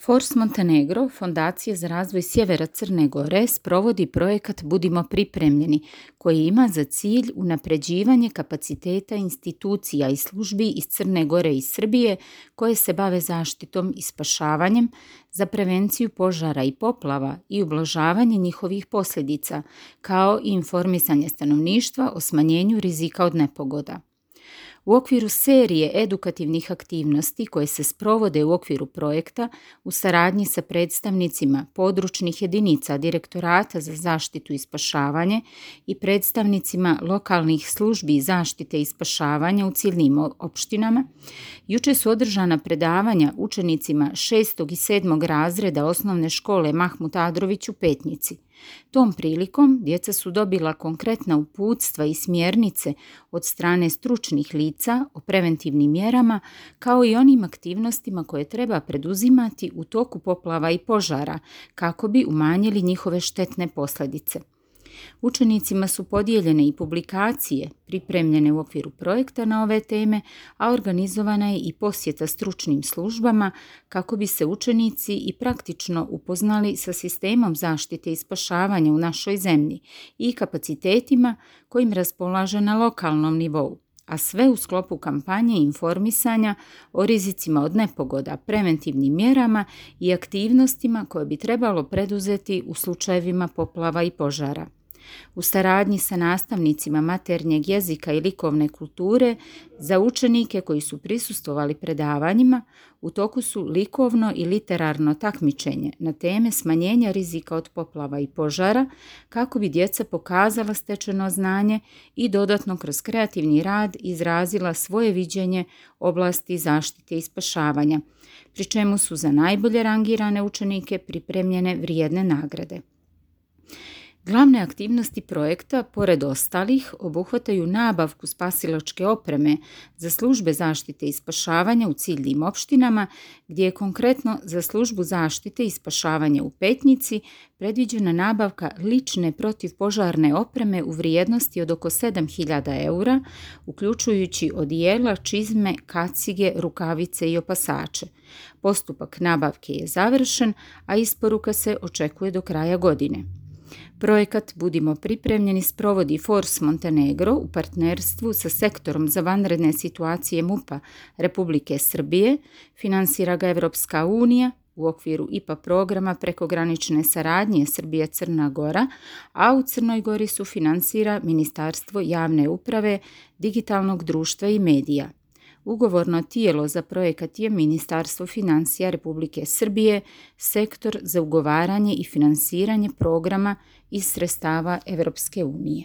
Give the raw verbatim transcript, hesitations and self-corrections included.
Force Montenegro, Fondacija za razvoj sjevera Crne Gore, sprovodi projekat Budimo pripremljeni, koji ima za cilj unapređivanje kapaciteta institucija i službi iz Crne Gore i Srbije koje se bave zaštitom i spašavanjem za prevenciju požara i poplava i ublažavanje njihovih posljedica, kao i informisanje stanovništva o smanjenju rizika od nepogoda. U okviru serije edukativnih aktivnosti koje se sprovode u okviru projekta u saradnji sa predstavnicima područnih jedinica Direktorata za zaštitu i spašavanje i predstavnicima lokalnih službi zaštite i spašavanja u ciljnim opštinama, juče su održana predavanja učenicima šestog i sedmog razreda osnovne škole Mahmut Adrović u Petnici. Tom prilikom djeca su dobila konkretna uputstva i smjernice od strane stručnih lica o preventivnim mjerama, kao i onim aktivnostima koje treba preduzimati u toku poplava i požara kako bi umanjili njihove štetne posljedice. Učenicima su podijeljene i publikacije pripremljene u okviru projekta na ove teme, a organizovana je i posjeta stručnim službama kako bi se učenici i praktično upoznali sa sistemom zaštite i spašavanja u našoj zemlji i kapacitetima kojim raspolaže na lokalnom nivou, a sve u sklopu kampanje informisanja o rizicima od nepogoda, preventivnim mjerama i aktivnostima koje bi trebalo preduzeti u slučajevima poplava i požara. U saradnji sa nastavnicima maternjeg jezika i likovne kulture za učenike koji su prisustvovali predavanjima u toku su likovno i literarno takmičenje na teme smanjenja rizika od poplava i požara kako bi djeca pokazala stečeno znanje i dodatno kroz kreativni rad izrazila svoje viđenje oblasti zaštite i spašavanja, pri čemu su za najbolje rangirane učenike pripremljene vrijedne nagrade. Glavne aktivnosti projekta, pored ostalih, obuhvataju nabavku spasilačke opreme za službe zaštite i spašavanja u ciljnim opštinama, gdje je konkretno za službu zaštite i spašavanja u Petnici predviđena nabavka lične protivpožarne opreme u vrijednosti od oko sedam hiljada eura, uključujući odijela, čizme, kacige, rukavice i opasače. Postupak nabavke je završen, a isporuka se očekuje do kraja godine. Projekat Budimo pripremljeni sprovodi Force Montenegro u partnerstvu sa Sektorom za vanredne situacije MUP-a Republike Srbije, finansira ga Evropska unija u okviru I P A programa prekogranične saradnje Srbija-Crna Gora, a u Crnoj Gori su finansira Ministarstvo javne uprave, digitalnog društva i medija. Ugovorno tijelo za projekat je Ministarstvo financija Republike Srbije, Sektor za ugovaranje i finansiranje programa iz sredstava Evropske unije.